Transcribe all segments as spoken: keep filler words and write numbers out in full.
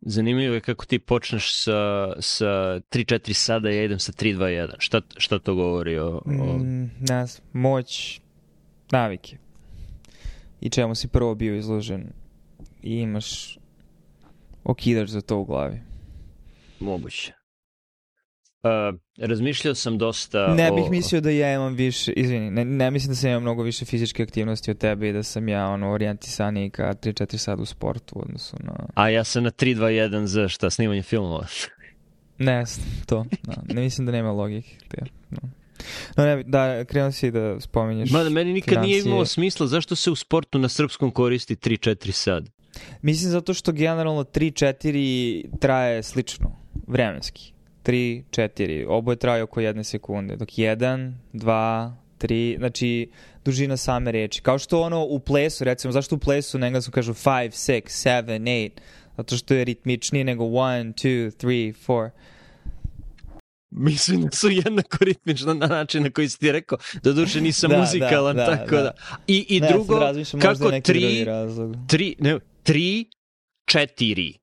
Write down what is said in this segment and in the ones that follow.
zanimljivo je kako ti počneš sa, sa tri četiri sada, ja idem sa tri dva jedan. Šta, šta to govori o... o... Mm, ne znam, moć navike. I čemu si prvo bio izložen i imaš okidač za to u glavi. Moguće. Uh, razmišljao sam dosta Ne o... bih mislio da ja imam više, izvini, ne, ne mislim da sam imam mnogo više fizičke aktivnosti od tebe i da sam ja ono orijentisaniji ka tri četiri sada u sportu u odnosu na... A ja sam na tri dva jedan za šta, snimanje filmova? Ne, to, no, ne mislim da nema logike. No. No ne, da, krenuo si da spominješ Mada meni nikad financije. Nije imalo smisla zašto se u sportu na srpskom koristi tri četiri sad. Mislim zato što generalno tri četiri traje slično, vremenski. tri četiri, oboje traje oko jedne sekunde, dok jedan, dva, tri, znači dužina same reči. Kao što ono u plesu, recimo, zašto u plesu na engleskom kažu five, six, seven, eight, zato što je ritmičnije nego one, two, three, four. Mislim da su jednako ritmično na način na koji si ti rekao, da duše nisam da, muzikalan, da, da, tako da. da. I, i ne, drugo, kako tri, tri, ne, tri, četiri.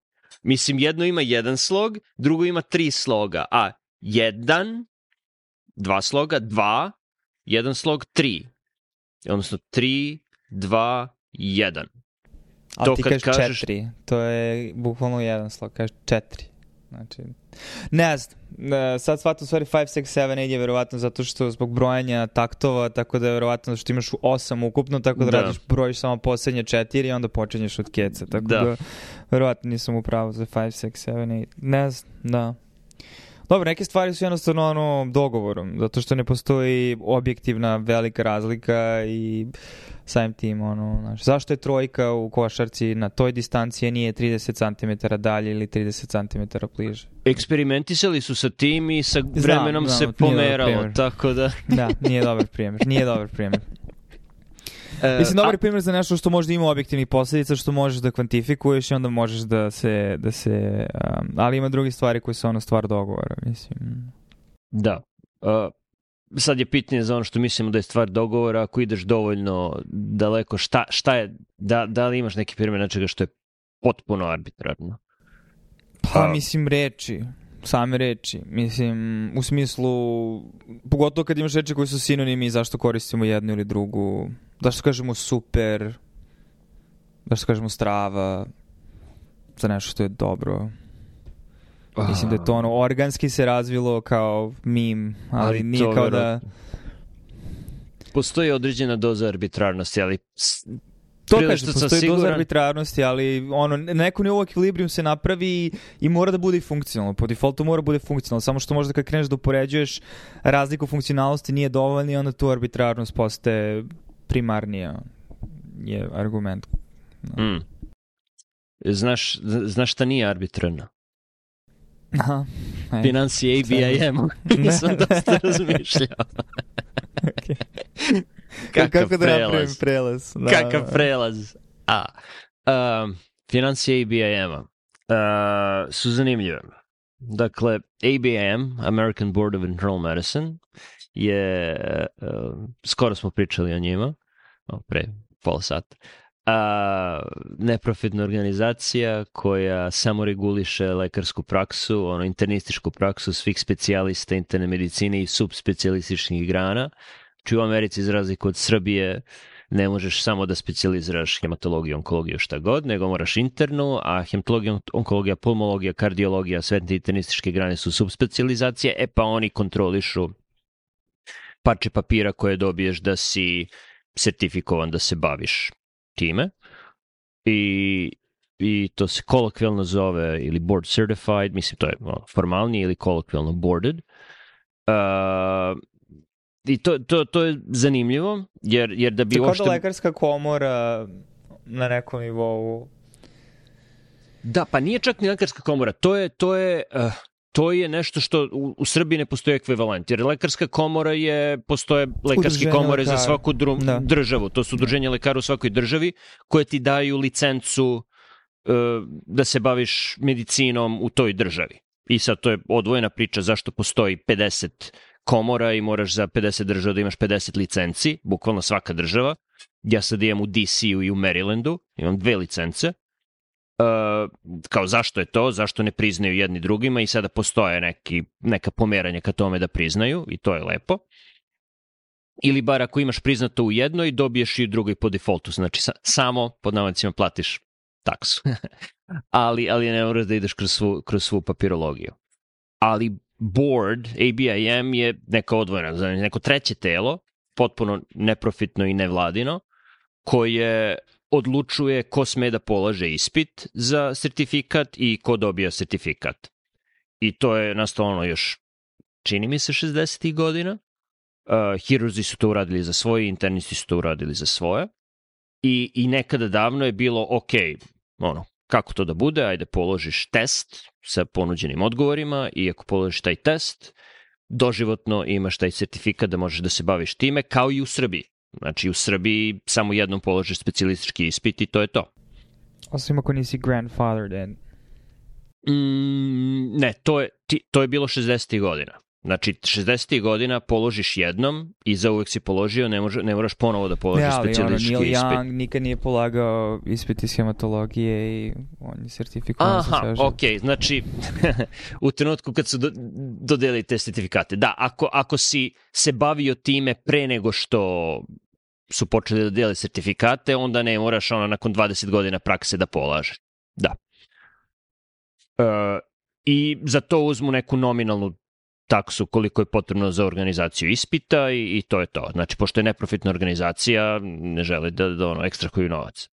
Mislim, jedno ima jedan slog, drugo ima tri sloga, a jedan, dva sloga, dva, jedan slog, tri. Odnosno, tri, dva, jedan. A to ti kažeš kažeš... četiri, to je bukvalno jedan slog, kažeš četiri. Znači, ne znam, sad shvatam stvari five, six, seven, eight je verovatno zato što zbog brojanja taktova, tako da je verovatno što imaš osam ukupno, tako da, da. radiš, brojiš samo poslednje četiri i onda počinješ od keca, tako da, da verovatno nisam u pravu za five, six, seven, eight. Ne znam, da. Dobro, neke stvari su jednostavno ono dogovorom, zato što ne postoji objektivna velika razlika i samim tim, ono, znaš, zašto je trojka u košarci na toj distanci nije trideset centimetara dalje ili trideset centimetara bliže? Eksperimentisali su sa tim i sa vremenom znam, znam, se pomeralo, tako da... Da, nije dobar primjer, nije dobar primjer. Uh, Mislim, dobar a... primjer za nešto što možda ima objektivnih posljedica, što možeš da kvantifikuješ i onda možeš da se... Da se um, ali ima drugi stvari koje su ono stvar dogovora, mislim. Da. Uh, sad je pitanje za ono što mislimo da je stvar dogovora, ako ideš dovoljno daleko, šta, šta je, da, da li imaš neki primjer nečega što je potpuno arbitrarno? Pa, mislim, reči. Same reči. Mislim, u smislu, pogotovo kad imaš reči koji su sinonimi, zašto koristimo jednu ili drugu, zašto kažemo super, zašto kažemo strava, za nešto što je dobro. Mislim da je to ono, organski se razvilo kao meme, ali, ali nije kao da... Postoji određena doza arbitrarnosti, ali... To kaže, postoji siguran... doza arbitrarnosti, ali ono, neko nivou ekvilibrium se napravi i mora da bude i funkcionalno. Po defaultu mora da bude funkcionalno, samo što možda kad kreneš da upoređuješ razliku funkcionalnosti nije dovoljno i onda tu arbitrarnost postaje primarnija je argument. No. Mm. Znaš, znaš šta nije arbitrarno? Aha. Financije A B I M. Nisam dosta razmišljao. Okay. Kakav Kako da napravim prelaz? Da, Kakav da. prelaz? A, um, financije A B I M-a uh, su zanimljive. Dakle, A B I M, American Board of Internal Medicine, je, uh, skoro smo pričali o njima, o, pre pola sata, a, neprofitna organizacija koja samo reguliše lekarsku praksu, ono, internističku praksu svih specijalista interne medicine i subspecijalističkih grana. Či u Americi, za razliku od Srbije, ne možeš samo da specijaliziraš hematologiju, onkologiju, šta god, nego moraš internu, a hematologija, onkologija, pulmologija, kardiologija, sve te internističke grane su subspecijalizacije, e pa oni kontrolišu parče papira koje dobiješ da si sertifikovan da se baviš time. I, i to se kolokvijalno zove ili board certified, mislim to je formalnije ili kolokvijalno boarded. Uh, I to, to, to je zanimljivo, jer, jer da bi Tako uopšte... da lekarska komora na nekom nivou... Da, pa nije čak ni lekarska komora, to je, to je, uh, to je nešto što u, u Srbiji ne postoji ekvivalent, jer lekarska komora je, postoje lekarske komore lekara. Za svaku dru, da. državu, to su udruženja lekara u svakoj državi, koje ti daju licencu uh, da se baviš medicinom u toj državi. I sad to je odvojena priča zašto postoji pedeset komora i moraš za pedeset država da imaš pedeset licenci, bukvalno svaka država. Ja sad imam u D C-u i u Marylandu, imam dve licence. Uh, kao zašto je to, zašto ne priznaju jedni drugima i sada postoje neki, neka pomeranja ka tome da priznaju i to je lepo. Ili bar ako imaš priznato u jednoj, dobiješ i u drugoj po defaultu, znači sa, samo pod navodnicima platiš taksu. ali, ali ne moraš da ideš kroz svu, kroz svu papirologiju. Ali board, A B I M je neka odvojena, znači neko treće telo, potpuno neprofitno i nevladino, koje odlučuje ko sme da polaže ispit za sertifikat i ko dobija sertifikat. I to je nastalo još, čini mi se, šezdesetih godina. Uh, Hirurzi su to uradili za svoje, internisti su to uradili za svoje. I, i nekada davno je bilo, ok, ono, kako to da bude, ajde položiš test sa ponuđenim odgovorima i ako položiš taj test, doživotno imaš taj sertifikat da možeš da se baviš time, kao i u Srbiji. Znači, u Srbiji samo jednom položiš specijalistički ispit i to je to. Osim ako nisi grandfathered in. Mm, ne, to je, ti, to je bilo šezdesetih godina. Znači, šezdesetih godina položiš jednom i zauvek si položio, ne, može, ne moraš ponovo da položiš ja, specijalistički ono, ispit. Neil Young nikad nije polagao ispit iz hematologije i on je sertifikovan. Aha, ok, znači, u trenutku kad su do, dodelili te sertifikate. Da, ako, ako si se bavio time pre nego što su počeli da dodeli sertifikate, onda ne moraš ono nakon dvadeset godina prakse da polažeš. Da. E, I za to uzmu neku nominalnu taksu koliko je potrebno za organizaciju ispita i, i to je to. Znači, pošto je neprofitna organizacija, ne žele da, da ono, ekstrahuju novac.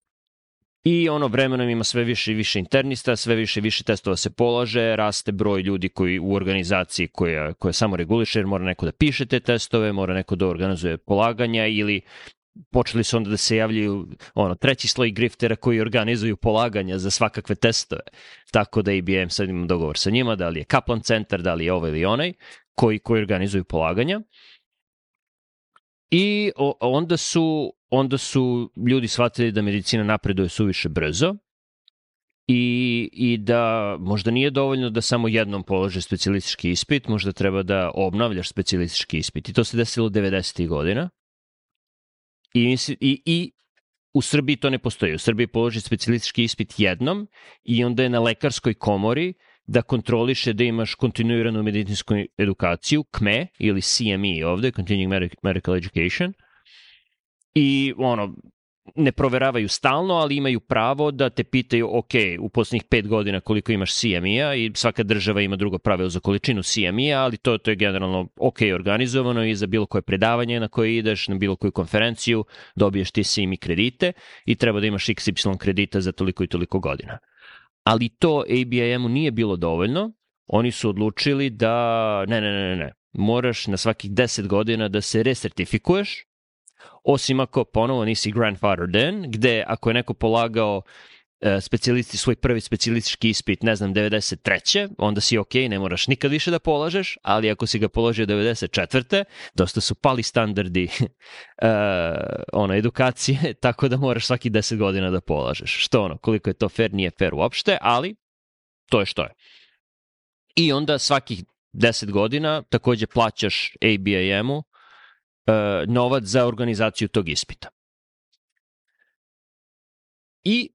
I ono vremenom ima sve više i više internista, sve više i više testova se polaže, raste broj ljudi koji u organizaciji koja, koja samo reguliše, jer mora neko da piše te testove, mora neko da organizuje polaganja ili počeli su onda da se javljaju ono, treći sloj griftera koji organizuju polaganja za svakakve testove. Tako da A B M sad imam dogovor sa njima, da li je Kaplan centar, da li je ovaj ili onaj, koji, koji organizuju polaganja. I o, onda, su, onda su ljudi shvatili da medicina napreduje suviše brzo i, i da možda nije dovoljno da samo jednom polože specijalistički ispit, možda treba da obnavljaš specijalistički ispit. I to se desilo devedesetih godina. I, i, I u Srbiji to ne postoji. U Srbiji položi specijalistički ispit jednom i onda je na lekarskoj komori da kontroliše da imaš kontinuiranu medicinsku edukaciju, C M E ili C M E ovde, Continuing Medical Education. I ono, ne proveravaju stalno, ali imaju pravo da te pitaju, ok, u poslednjih pet godina koliko imaš C M E-a i svaka država ima drugo pravilo za količinu C M E-a, ali to, to je generalno ok organizovano i za bilo koje predavanje na koje ideš, na bilo koju konferenciju, dobiješ ti C M E kredite i treba da imaš X Y kredita za toliko i toliko godina. Ali to A B I M-u nije bilo dovoljno, oni su odlučili da ne, ne, ne, ne, moraš na svakih deset godina da se resertifikuješ, osim ako ponovo nisi grandfathered in, gde ako je neko polagao e, specijalisti, svoj prvi specijalistički ispit, ne znam, devedeset treće onda si ok, ne moraš nikad više da polažeš, ali ako si ga položio devedeset četvrte dosta su pali standardi e, ono, edukacije, tako da moraš svaki deset godina da polažeš. Što ono, koliko je to fair, nije fair uopšte, ali to je što je. I onda svakih deset godina takođe plaćaš A B I M-u novac za organizaciju tog ispita. I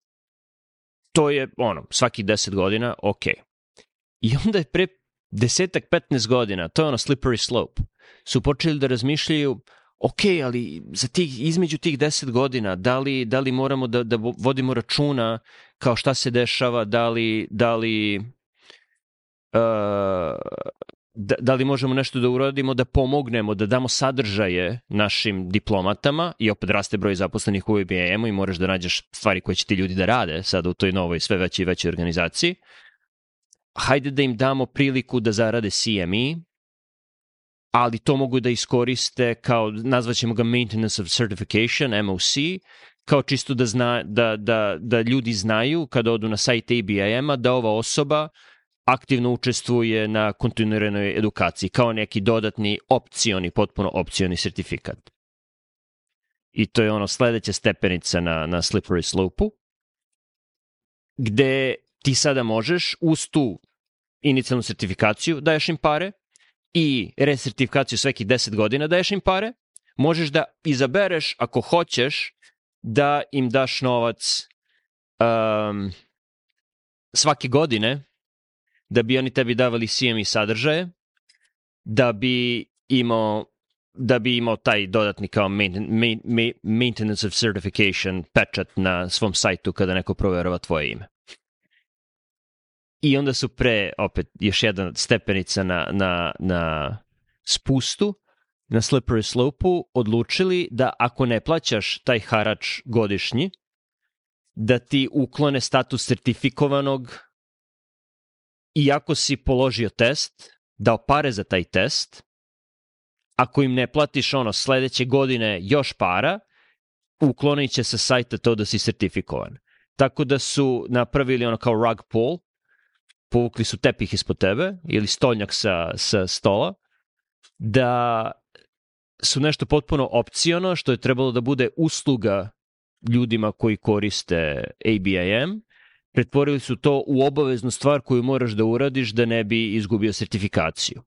to je, ono, svaki deset godina, ok. I onda je pre desetak, petnaest godina, to je ono slippery slope, su počeli da razmišljaju, ok, ali za tih, između tih deset godina, da li, da li moramo da, da vodimo računa kao šta se dešava, da li, da li uh, Da, da li možemo nešto da uradimo, da pomognemo, da damo sadržaje našim diplomatama i opet raste broj zaposlenih u A B I M-u i moraš da nađeš stvari koje će ti ljudi da rade sada u toj novoj sve većoj i većoj organizaciji. Hajde da im damo priliku da zarade C M E, ali to mogu da iskoriste kao, nazvaćemo ga Maintenance of Certification, M O C, kao čisto da, zna, da, da, da ljudi znaju kada odu na sajt A B I M-a da ova osoba aktivno učestvuje na kontinuiranoj edukaciji, kao neki dodatni opcioni, potpuno opcioni sertifikat. I to je ono sledeća stepenica na, na slippery slope-u, gde ti sada možeš uz tu inicijalnu sertifikaciju daješ im pare i resertifikaciju svekih deset godina daješ im pare, možeš da izabereš ako hoćeš da im daš novac um, svake godine, da bi oni tebi davali C M E sadržaje, da bi imao da bi imao taj dodatni kao main, main, maintenance of certification pečat na svom sajtu kada neko proverava tvoje ime. I onda su pre, opet, još jedna stepenica na, na, na spustu, na slippery slope-u, odlučili da ako ne plaćaš taj harač godišnji, da ti uklone status sertifikovanog iako si položio test, dao pare za taj test, ako im ne platiš ono sledeće godine još para, uklonit će sa sajta to da si sertifikovan. Tako da su napravili ono kao rug pull, povukli su tepih ispod tebe ili stolnjak sa, sa stola, da su nešto potpuno opciono što je trebalo da bude usluga ljudima koji koriste A B I M, pretvorili su to u obaveznu stvar koju moraš da uradiš da ne bi izgubio sertifikaciju.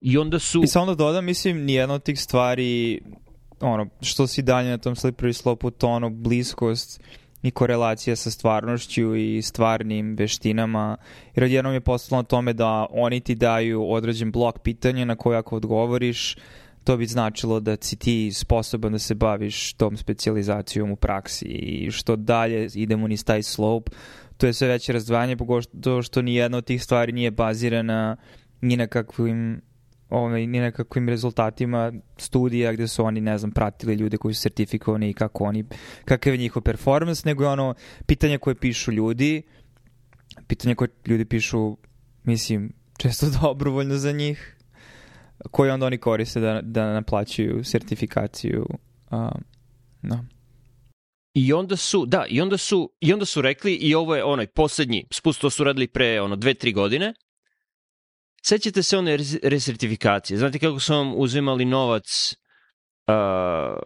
I onda su... I samo da dodam, mislim, nijedna od tih stvari, ono, što si dalje na tom slippery slope-u, to ono, bliskost i korelacija sa stvarnošću i stvarnim veštinama, jer odjednom je postalo na tome da oni ti daju određen blok pitanja na koje ako odgovoriš, to bi značilo da si ti sposoban da se baviš tom specijalizacijom u praksi i što dalje idemo niz taj slope, to je sve veće razdvajanje, pogotovo što nijedna od tih stvari nije bazirana ni na kakvim ovaj, ni na kakvim rezultatima studija gde su oni, ne znam, pratili ljude koji su sertifikovani i kako oni, kakav je njihov performans, nego je ono pitanje koje pišu ljudi, pitanje koje ljudi pišu, mislim, često dobrovoljno za njih, koje onda oni koriste da, da naplaćuju sertifikaciju. Uh, no. I onda su, da, i onda su, i onda su rekli, i ovo je onaj poslednji spust, to su radili pre ono dve, tri godine. Sećate se one resertifikacije. Znate kako su vam uzimali novac uh,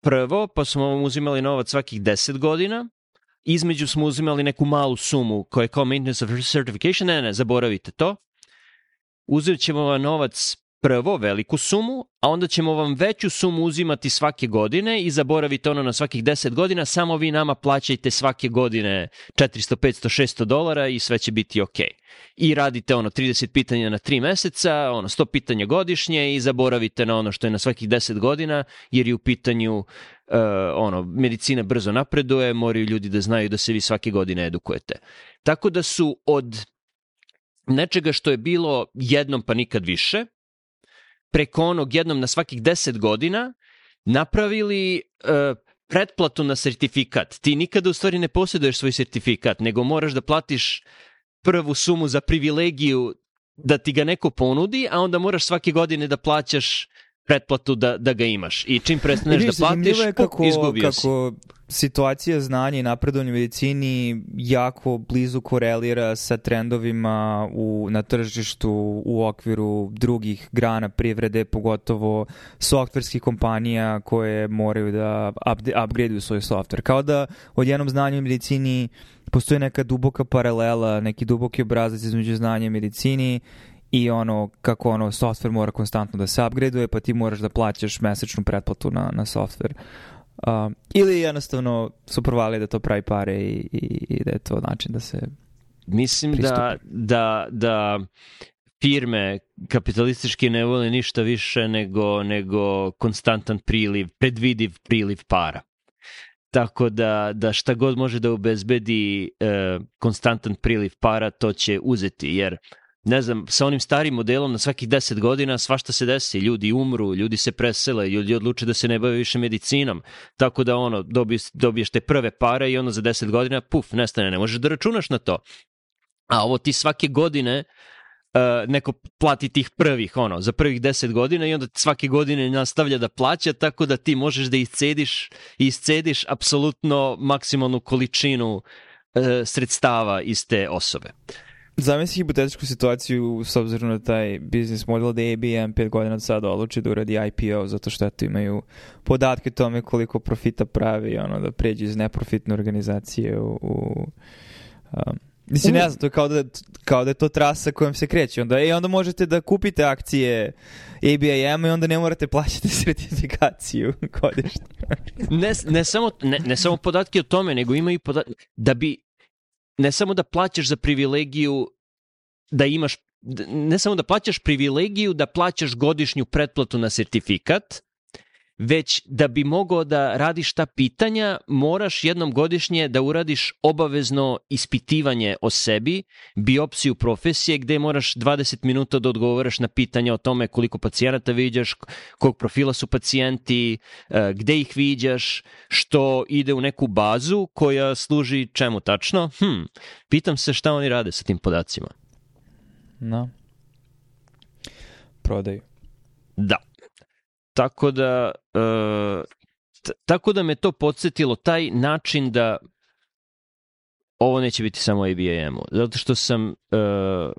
prvo, pa smo vam uzimali novac svakih deset godina. Između smo uzimali neku malu sumu koja je kao maintenance of certification. Ne, ne, zaboravite to. Uzet ćemo vam novac prvo, veliku sumu, a onda ćemo vam veću sumu uzimati svake godine i zaboravite ono na svakih deset godina, samo vi nama plaćajte svake godine četiristo, petsto, šesto dolara i sve će biti ok. I radite ono trideset pitanja na tri meseca, ono sto pitanja godišnje i zaboravite na ono što je na svakih deset godina, jer je u pitanju uh, ono, medicina brzo napreduje, moraju ljudi da znaju da se vi svake godine edukujete. Tako da su od nečega što je bilo jednom pa nikad više, preko onog jednom na svakih deset godina, napravili uh, pretplatu na sertifikat. Ti nikada u stvari ne posjeduješ svoj sertifikat, nego moraš da platiš prvu sumu za privilegiju da ti ga neko ponudi, a onda moraš svake godine da plaćaš pretplatu da, da ga imaš. I čim prestaneš da platiš, kako, izgubio si. Kako situacija znanja i napredovanja u medicini jako blizu korelira sa trendovima u, na tržištu u okviru drugih grana privrede, pogotovo softverskih kompanija koje moraju da upgradeuju svoj softver. Kao da odjednom znanju u medicini postoji neka duboka paralela, neki duboki obrazac između znanja i medicini i ono kako ono softver mora konstantno da se upgradeuje, pa ti moraš da plaćaš mesečnu pretplatu na, na softver. Uh, ili jednostavno su provali da to pravi pare i, i, i da je to način da se Mislim pristupi. da, da, da firme kapitalistički ne vole ništa više nego, nego konstantan priliv, predvidiv priliv para. Tako da, da šta god može da obezbedi e, konstantan priliv para, to će uzeti, jer ne znam, sa onim starim modelom na svakih deset godina svašta se desi, ljudi umru, ljudi se presele, ljudi odluče da se ne bave više medicinom, tako da ono, dobiješ, dobiješ te prve pare i ono za deset godina, puf, nestane, ne možeš da računaš na to. A ovo ti svake godine uh, neko plati tih prvih, ono, za prvih deset godina i onda svake godine nastavlja da plaća, tako da ti možeš da iscediš, iscediš apsolutno maksimalnu količinu uh, sredstava iz te osobe. Zamisli hipotetičku situaciju s obzirom na taj biznis model da A B M pet godina od sada odluči da uradi I P O zato što eto imaju podatke o tome koliko profita pravi, ono, da pređe iz neprofitne organizacije u... u um, mislim, ne znam, to je kao da, kao da je to trasa kojom se kreće. Onda, i onda možete da kupite akcije A B I M i onda ne morate plaćati sertifikaciju godišnje. ne, ne, samo, ne, ne samo podatke o tome, nego imaju podatke da bi ne samo da plaćaš za privilegiju da imaš, ne samo da plaćaš privilegiju da plaćaš godišnju pretplatu na sertifikat, već da bi mogao da radiš ta pitanja, moraš jednom godišnje da uradiš obavezno ispitivanje o sebi, biopsiju profesije, gde moraš dvadeset minuta da odgovaraš na pitanja o tome koliko pacijenata viđaš, kog profila su pacijenti, gde ih viđaš, što ide u neku bazu koja služi čemu tačno. Hm, pitam se šta oni rade sa tim podacima. No. Prodaju. Da. Tako da, uh, t- tako da me to podsjetilo, taj način da ovo neće biti samo A B A M-u, zato što sam uh,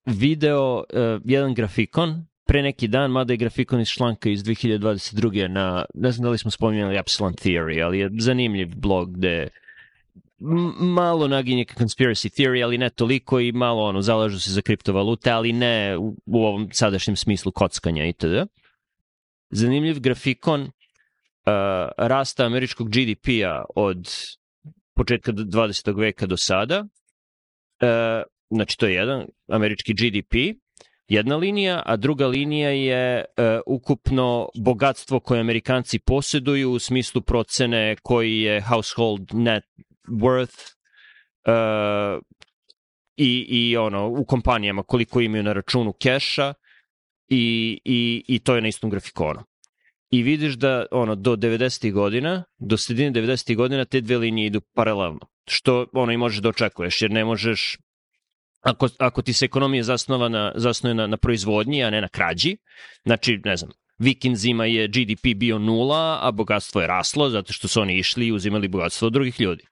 video uh, jedan grafikon pre neki dan, mada je grafikon iz članka iz dve hiljade dvadeset druge na, ne znam da li smo spominjali Epsilon Theory, ali je zanimljiv blog gde malo naginje ka conspiracy theory, ali ne toliko, i malo ono, zalažu se za kriptovalute, ali ne u, u ovom sadašnjem smislu kockanja itd. Zanimljiv grafikon uh, rasta američkog G D P-a od početka dvadesetog veka do sada. Uh, znači, to je jedan američki G D P, jedna linija, a druga linija je uh, ukupno bogatstvo koje Amerikanci posjeduju u smislu procene koji je household net worth uh, i, i ono, u kompanijama koliko imaju na računu keša. I, i, i to je na istom grafikonu. I vidiš da ono, do devedesetih godina, do sredine devedesetih godina te dve linije idu paralelno. Što ono i možeš da očekuješ, jer ne možeš, ako, ako ti se ekonomija zasnova na, zasnuje na, na proizvodnji, a ne na krađi, znači, ne znam, Vikinzima je G D P bio nula, a bogatstvo je raslo, zato što su oni išli i uzimali bogatstvo od drugih ljudi.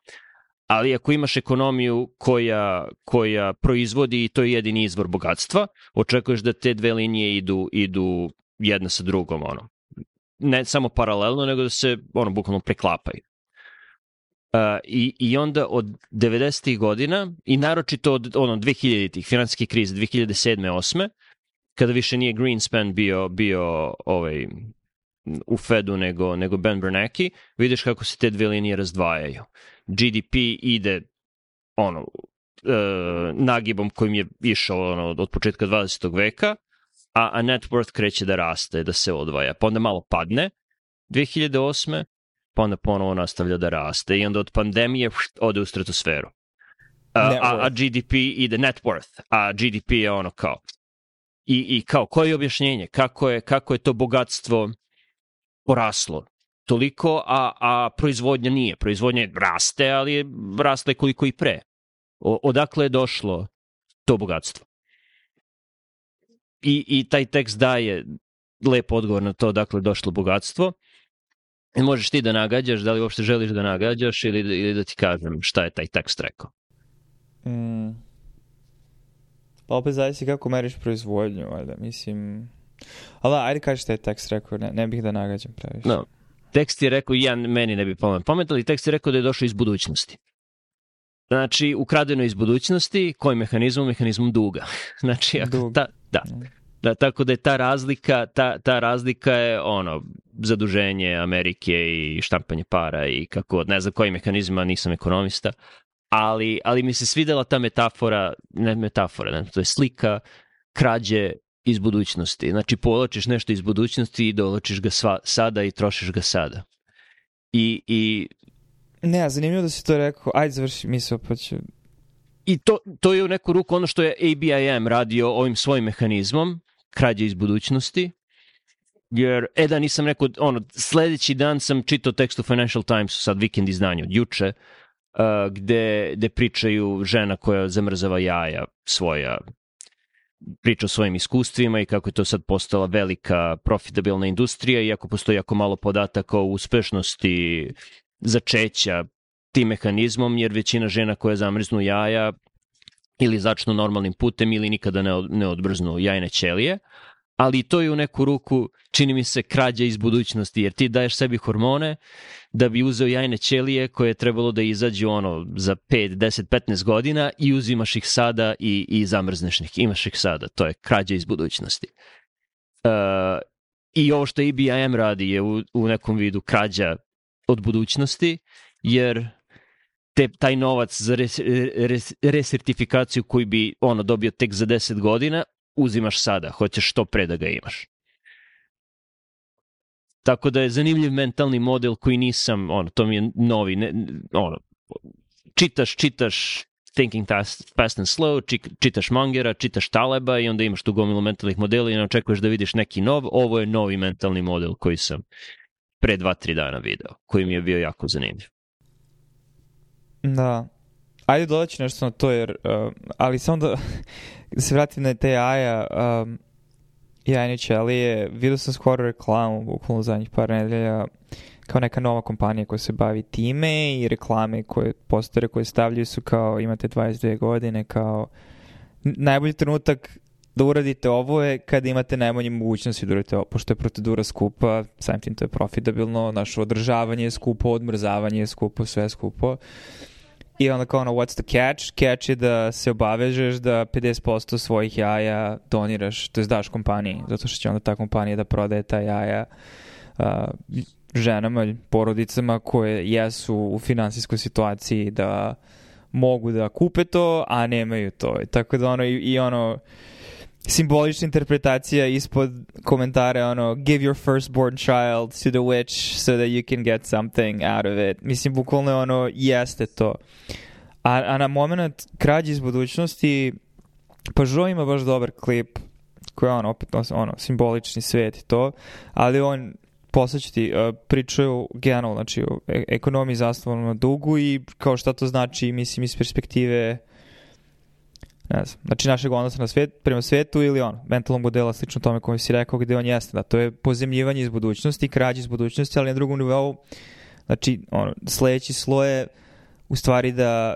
Ali ako imaš ekonomiju koja, koja proizvodi i to je jedini izvor bogatstva, očekuješ da te dve linije idu, idu jedna sa drugom, ono. Ne samo paralelno, nego da se ono bukvalno preklapaju. Uh, i, I onda od devedesetih godina i naročito od ono, dvehiljaditih finansijske krize, dve hiljade sedme osme, kada više nije Greenspan bio, bio ovaj, u Fedu nego, nego Ben Bernanke, vidiš kako se te dve linije razdvajaju. G D P ide ono, uh, nagibom kojim je išao ono, od početka dvadesetog veka, a, a net worth kreće da raste, da se odvaja. Pa onda malo padne dve hiljade osme, pa onda ponovo nastavlja da raste. I onda od pandemije ode u stratosferu. A, a, a G D P ide net worth, a G D P je ono kao. I, i kao, koje je objašnjenje? Kako je, kako je to bogatstvo poraslo toliko, a, a proizvodnja nije. Proizvodnja raste, ali je rasla koliko i pre. O, odakle je došlo to bogatstvo? I, i taj tekst daje lep odgovor na to odakle je došlo bogatstvo. I možeš ti da nagađaš, da li uopšte želiš da nagađaš ili, ili da ti kažem šta je taj tekst rekao. Mm. Pa opet zavisi kako meriš proizvodnju, valjda, mislim... Ali ajde kaži šta je tekst rekao, ne, ne bih da nagađam previše. No. Tekst je rekao, ja meni ne bi pamet pametali, tekst je rekao da je došao iz budućnosti. Znači, ukradeno iz budućnosti, kojim mehanizmom? Mehanizmom duga. Znači, ako ta, da, da, tako da je ta razlika, ta, ta razlika je ono, zaduženje Amerike i štampanje para i kako, ne znam kojim mehanizmima, nisam ekonomista, ali, ali mi se svidela ta metafora, ne metafora, ne, to je slika krađe iz budućnosti. Znači, povlačiš nešto iz budućnosti i dovlačiš ga sva, sada i trošiš ga sada. I, i ne, zanimljivo da si to rekao. Ajde, završi misao, pa ću... I to, to je u neku ruku ono što je A B I M radio ovim svojim mehanizmom, krađe iz budućnosti, jer, e da, nisam rekao, ono, sledeći dan sam čitao tekst u Financial Timesu, sad vikend izdanje od juče, uh, gde, gde pričaju žena koja zamrzava jaja svoja, priča o svojim iskustvima i kako je to sad postala velika profitabilna industrija, iako postoji jako malo podataka o uspešnosti začeća tim mehanizmom, jer većina žena koje zamrznu jaja ili začnu normalnim putem ili nikada ne, od, ne odbrznu jajne ćelije, ali to je u neku ruku, čini mi se, krađa iz budućnosti, jer ti daješ sebi hormone da bi uzeo jajne ćelije koje je trebalo da izađu ono za pet, deset, petnaest godina i uzimaš ih sada i, i zamrzneš ih, imaš ih sada, to je krađa iz budućnosti. Uh, I ovo što A B I M radi je u, u nekom vidu krađa od budućnosti, jer te, taj novac za res, res, resertifikaciju koji bi ono dobio tek za deset godina, uzimaš sada, hoćeš što pre da ga imaš. Tako da je zanimljiv mentalni model koji nisam, ono, to mi je novi, ne, ono, čitaš, čitaš Thinking Fast, fast and Slow, čitaš Mangera, čitaš Taleba i onda imaš tu gomilu mentalnih modela i ne očekuješ da vidiš neki nov, ovo je novi mentalni model koji sam pre dva, tri dana video, koji mi je bio jako zanimljiv. Da. Ajde dodat ću nešto na to, jer, uh, ali samo da, da se vratim na te jaja, um, jajne ćelije, vidio sam skoro reklamu, bukvalno zadnjih par nedelja, kao neka nova kompanija koja se bavi time i reklame koje, postere koje stavljaju su kao imate dvadeset dve godine, kao najbolji trenutak da uradite ovo je kada imate najmanje mogućnosti da uradite ovo, pošto je procedura skupa, samim tim to je profitabilno, naše održavanje je skupo, odmrzavanje je skupo, sve je skupo. I onda kao ono, what's the catch? Catch je da se obavežeš da pedeset posto svojih jaja doniraš, to je daš kompaniji, zato što će onda ta kompanija da prodaje ta jaja uh, ženama, porodicama koje jesu u finansijskoj situaciji da mogu da kupe to, a nemaju to. Tako da ono, i, i ono, simbolična interpretacija ispod komentara, ono, give your firstborn child to the witch so that you can get something out of it. Mislim, bukvalno ono, jeste to. A, a na moment krađe iz budućnosti, pa Žo ima baš dobar klip koji je ono, opet, ono, simbolični svet i to, ali on posjećati, uh, pričaju generalno, znači, o e- ekonomiji zasnovano na dugu i kao šta to znači, mislim, iz perspektive ne znam, znači našeg odnosa na svet, prema svetu ili ono, mentalnog modela slično tome koji si rekao gde on jeste, da to je pozemljivanje iz budućnosti, krađe iz budućnosti, ali na drugom nivou, znači, ono, sledeći sloj je u stvari da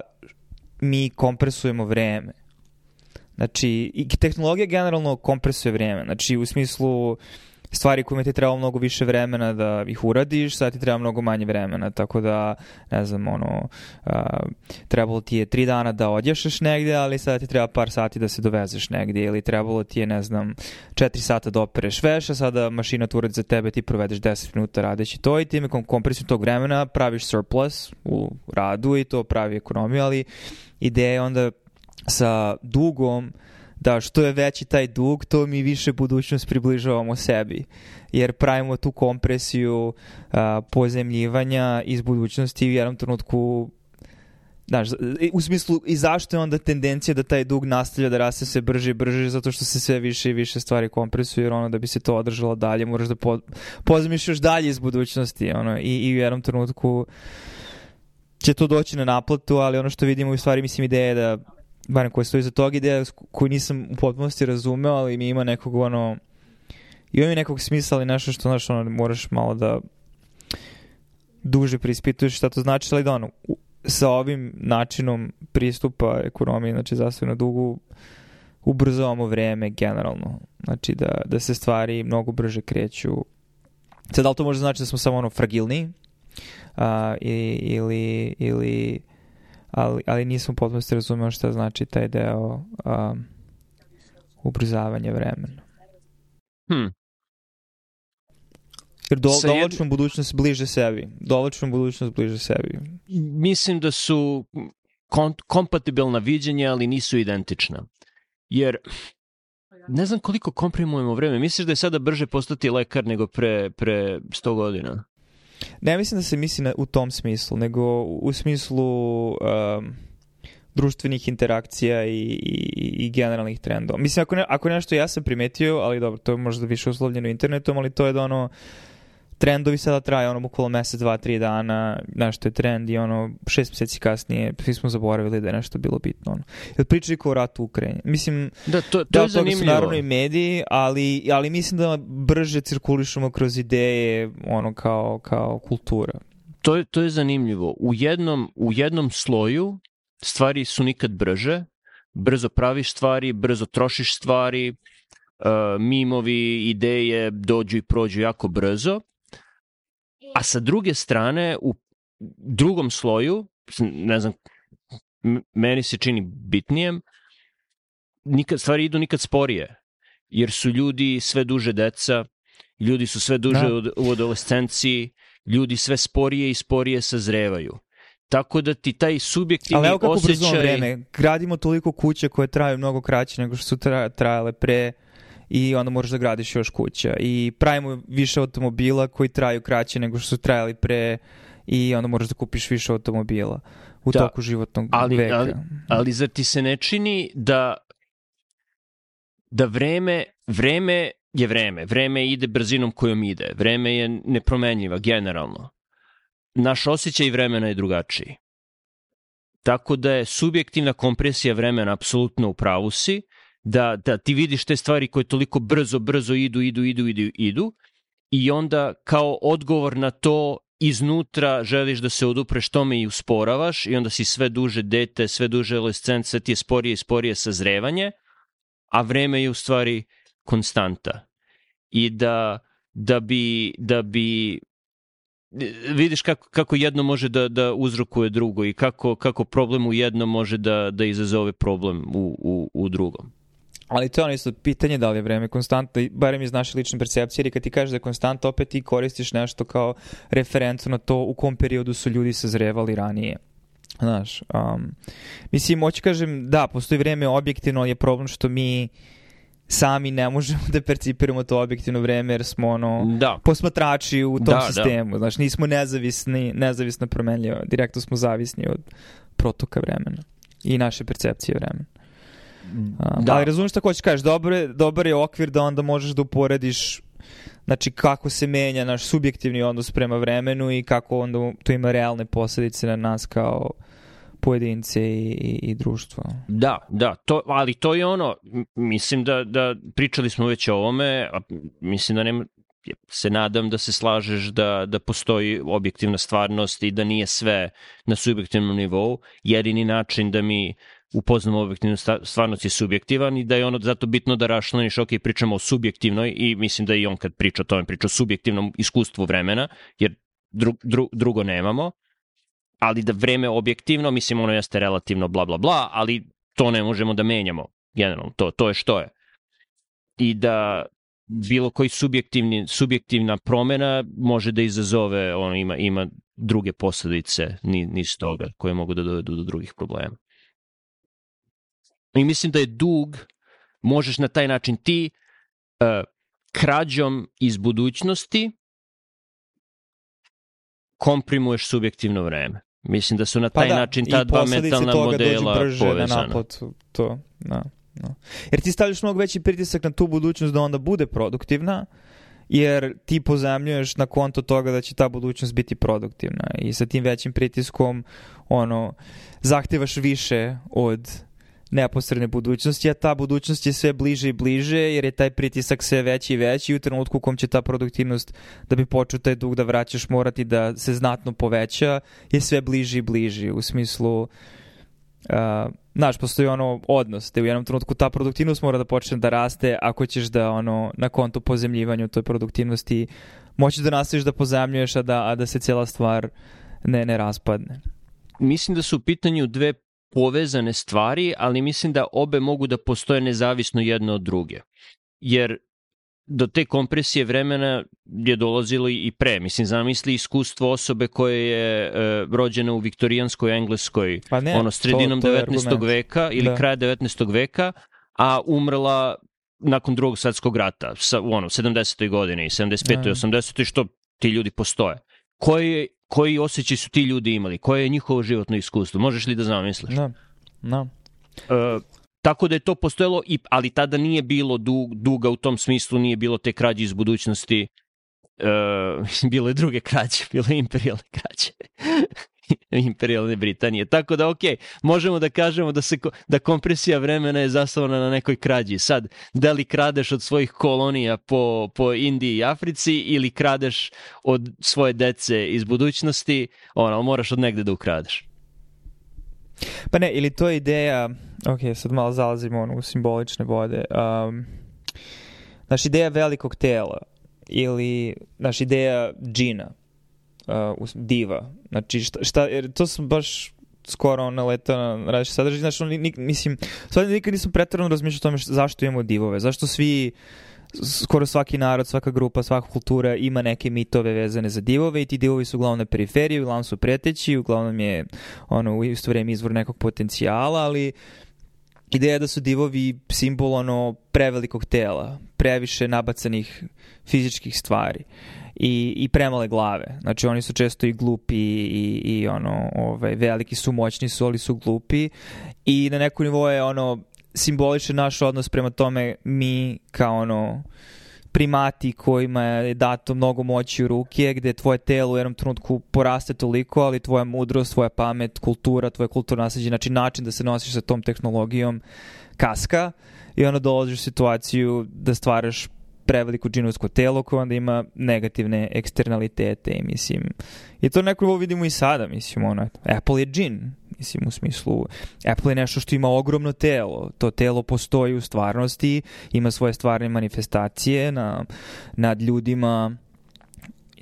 mi kompresujemo vreme. Znači, i tehnologija generalno kompresuje vreme, znači u smislu stvari kojima ti treba mnogo više vremena da ih uradiš, sad ti treba mnogo manje vremena, tako da, ne znam, ono, uh, trebalo ti je tri dana da odješeš negdje, ali sad ti treba par sati da se dovezeš negdje, ili trebalo ti je, ne znam, četiri sata da opereš veš, a sada mašina tu uradi za tebe, ti provedeš deset minuta radeći to i time kompresijom tog vremena praviš surplus u radu i to pravi ekonomiju, ali ideja je onda sa dugom da što je veći taj dug, to mi više budućnost približavamo sebi. Jer pravimo tu kompresiju a, pozemljivanja iz budućnosti u jednom trenutku, znaš, u smislu i zašto je onda tendencija da taj dug nastavlja da raste sve brže i brže, zato što se sve više i više stvari kompresuju, jer ono da bi se to održalo dalje, moraš da po, pozemiš još dalje iz budućnosti. Ono, i, i u jednom trenutku će to doći na naplatu, ali ono što vidimo u stvari, mislim, ideja je da barem koja stoji za tog ideja koju nisam u potpunosti razumeo, ali mi ima nekog ono ima mi nekog smisla, ali nešto što znaš, ono, moraš malo da duže preispituješ šta to znači, ali da ono, sa ovim načinom pristupa ekonomiji, znači zastojno dugu, ubrzavamo vreme generalno, znači da, da se stvari mnogo brže kreću. Sad, da li to može znači da smo samo ono fragilniji uh, ili, ili, ili Ali, ali nisam potpuno se razumeo šta znači taj deo um, ubrzavanja vremena. Hmm. Jer do, dolačnom budućnost bliže sebi. Dolačnom budućnost bliže sebi. Mislim da su kon- kompatibilna viđenja, ali nisu identična. Jer ne znam koliko komprimujemo vreme. Misliš da je sada brže postati lekar nego pre, pre sto godina? Ne mislim da se misli na, u tom smislu, nego u smislu um, društvenih interakcija i, i, i generalnih trendova. Mislim, ako, ne, ako nešto ja sam primetio, ali dobro, to je možda više uslovljeno internetom, ali to je da ono, trendovi sada traje ono bukvalno mesec, dva, tri dana, nešto je trend i ono šest mjeseci kasnije svi smo zaboravili da je nešto bilo bitno. Ono. Jer pričali kao o ratu u Ukrajini. Mislim, da, to, to da je zanimljivo. Su naravno i mediji, ali, ali mislim da brže cirkulišemo kroz ideje ono kao, kao kultura. To je, to je zanimljivo. U jednom, u jednom sloju stvari su nikad brže, brzo praviš stvari, brzo trošiš stvari, uh, mimovi, ideje dođu i prođu jako brzo. A sa druge strane, u drugom sloju, ne znam, meni se čini bitnijem, nikad, stvari idu nikad sporije, jer su ljudi sve duže deca, ljudi su sve duže u, u adolescenciji, ljudi sve sporije i sporije sazrevaju. tako da ti taj subjektivni osjećaj... Ali evo kako brzo vreme, gradimo toliko kuće koje traju mnogo kraće nego što su trajale pre i onda moraš da gradiš još kuća. I pravimo više automobila koji traju kraće nego što su trajali pre i onda moraš da kupiš više automobila u da, toku životnog ali, veka. Ali, ali zar ti se ne čini da da vreme, vreme je vreme, vreme ide brzinom kojom ide, vreme je nepromenljiva generalno. Naš osjećaj vremena je drugačiji. Tako da je subjektivna kompresija vremena apsolutno u pravu si, da, da ti vidiš te stvari koje toliko brzo, brzo idu, idu, idu, idu, idu i onda kao odgovor na to iznutra želiš da se odupreš tome i usporavaš i onda si sve duže dete, sve duže adolescent, sve ti je sporije i sporije sazrevanje, a vreme je u stvari konstanta. I da, da bi, da bi vidiš kako, kako jedno može da, da uzrokuje drugo i kako, kako problem u jednom može da, da izazove problem u, u, u drugom. Ali to je ono isto pitanje da li je vreme konstantno, barem iz naše lične percepcije, jer kad ti kažeš da je konstantno, opet ti koristiš nešto kao referencu na to u kom periodu su ljudi sazrevali ranije. Znaš, um, mislim, hoću kažem, da, postoji vreme objektivno, ali je problem što mi sami ne možemo da percipiramo to objektivno vreme jer smo ono da. posmatrači u tom da, sistemu. Da. Znaš, nismo nezavisni, nezavisno promenljivo. Direktno smo zavisni od protoka vremena i naše percepcije vremena. Um, da. Ali razumiješ šta hoćeš kažeš, dobar je, dobar je okvir da onda možeš da uporediš znači kako se menja naš subjektivni odnos prema vremenu i kako onda to ima realne posljedice na nas kao pojedince i, i, i društvo. Da, da, to, ali to je ono, mislim da, da pričali smo već o ovome, a mislim da nema, se nadam da se slažeš da, da postoji objektivna stvarnost i da nije sve na subjektivnom nivou, jedini način da mi upoznamo objektivnu stvarnost je subjektivan i da je ono zato bitno da raščlaniš, ok, pričamo o subjektivnoj i mislim da i on kad priča o tome priča o subjektivnom iskustvu vremena, jer dru, dru, drugo nemamo, ali da vreme objektivno, mislim ono jeste relativno bla bla bla, ali to ne možemo da menjamo generalno, to, to je što je. I da bilo koji subjektivni, subjektivna promena može da izazove, ono ima, ima druge posljedice niz toga koje mogu da dovedu do drugih problema. I mislim da je dug, možeš na taj način ti uh, krađom iz budućnosti komprimuješ subjektivno vreme. Mislim da su na taj pa da, način ta dva mentalna modela povezana. Naplatu, to, da, da. Jer ti stavljaš mnogo veći pritisak na tu budućnost da onda bude produktivna, jer ti pozemljuješ na konto toga da će ta budućnost biti produktivna i sa tim većim pritiskom ono, zahtevaš više od neposredne budućnosti, a ta budućnost je sve bliže i bliže jer je taj pritisak sve veći i veći i u trenutku u kom će ta produktivnost da bi počeo taj dug da vraćaš morati da se znatno poveća je sve bliži i bliži u smislu uh, znaš, postoji ono odnos te u jednom trenutku ta produktivnost mora da počne da raste ako ćeš da ono na kontu pozemljivanja toj produktivnosti moći da nastaviš da pozemljuješ a da, a da se cijela stvar ne, ne raspadne. Mislim da su u pitanju dve povezane stvari, ali mislim da obe mogu da postoje nezavisno jedno od druge. Jer do te kompresije vremena je dolazilo i pre. Mislim, zamisli iskustvo osobe koje je e, rođena u viktorijanskoj Engleskoj, pa ne, ono sredinom to, to devetnaestog veka ili da. Kraja devetnaestog veka, a umrla nakon drugog svjetskog rata, sa, u ono, sedamdesetoj godini, sedamdeset petoj i osamdesetoj što ti ljudi postoje. Koji, koji osjećaj su ti ljudi imali? Koje je njihovo životno iskustvo? Možeš li da zamisliš? Da, da. E, tako da je to postojalo, i, ali tada nije bilo dug, duga u tom smislu, nije bilo te krađe iz budućnosti, e, bilo je druge krađe, bilo je imperijalne krađe. Imperijalne Britanije. Tako da, ok, možemo da kažemo da, se, da kompresija vremena je zasnovana na nekoj krađi. Sad, da li kradeš od svojih kolonija po, po Indiji i Africi ili kradeš od svoje dece iz budućnosti, ono, moraš od negde da ukradeš. Pa ne, ili to je ideja, ok, sad malo zalazimo ono, u simbolične vode, um, naš ideja velikog tela ili naš ideja džina, uh, diva, znači šta, šta, jer to sam baš skoro naletao na različite sadržaje, znači, nik, mislim, stvarno nikad nisam pretjerano razmišljao o tome zašto imamo divove, zašto svi skoro svaki narod, svaka grupa, svaka kultura ima neke mitove vezane za divove i ti divovi su uglavnom na periferiji, uglavnom su preteći, uglavnom je ono, u isto vreme izvor nekog potencijala, ali ideja da su divovi simbol ono prevelikog tela, previše nabacanih fizičkih stvari i, i premale glave. Znači oni su često i glupi i, i ono, ovaj, veliki su, moćni su, ali su glupi i na neku nivou je ono simboličan naš odnos prema tome mi kao ono primati kojima je dato mnogo moći u ruke, gde tvoje telo u jednom trenutku poraste toliko, ali tvoja mudrost, tvoja pamet, kultura, tvoje kulturno nasleđe, znači način da se nosiš sa tom tehnologijom kaska i onda dolaziš u situaciju da stvaraš preveliko džinovsko telo koje onda ima negativne eksternalitete i mislim i to neko vidimo i sada, mislim ono, Apple je džin, mislim u smislu Apple je nešto što ima ogromno telo, to telo postoji u stvarnosti, ima svoje stvarne manifestacije na, nad ljudima,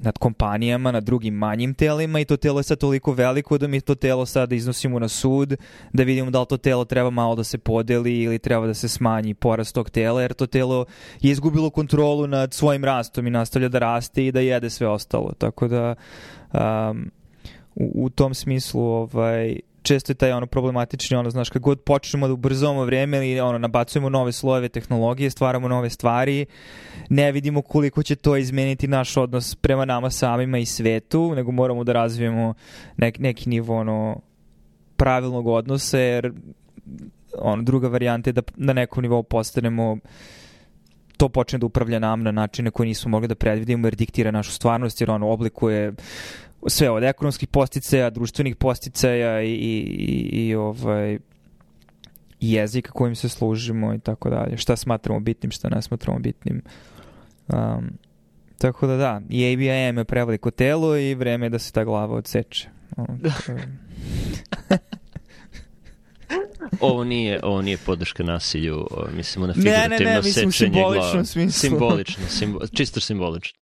nad kompanijama, nad drugim manjim telima i to telo je sad toliko veliko da mi to telo sada iznosimo na sud, da vidimo da li to telo treba malo da se podeli ili treba da se smanji porast tog tela, jer to telo je izgubilo kontrolu nad svojim rastom i nastavlja da raste i da jede sve ostalo. Tako da um, u, u tom smislu ovaj, često je taj ono problematični, ono, znaš, kad god počnemo da ubrzamo vreme ili ono, nabacujemo nove slojeve tehnologije, stvaramo nove stvari, ne vidimo koliko će to izmeniti naš odnos prema nama samima i svetu, nego moramo da razvijemo nek, neki nivo ono, pravilnog odnosa, jer ono, druga varijanta je da na nekom nivou postanemo to počne da upravlja nam na načine koje nismo mogli da predvidimo, jer diktira našu stvarnost, jer ono oblikuje sve od ekonomskih posticaja, društvenih posticaja i, i, i, i ovaj, jezika kojim se služimo i tako dalje. Šta smatramo bitnim, šta ne smatramo bitnim. Um, tako da da, i A B I M je preveliko telo i vreme je da se ta glava odseče. Ovo nije, ovo nije podrška nasilju, mislimo na figurativno ne, ne, ne, sečenje glava. Simbolično smislu. Simbolično, simbo, čisto simbolično.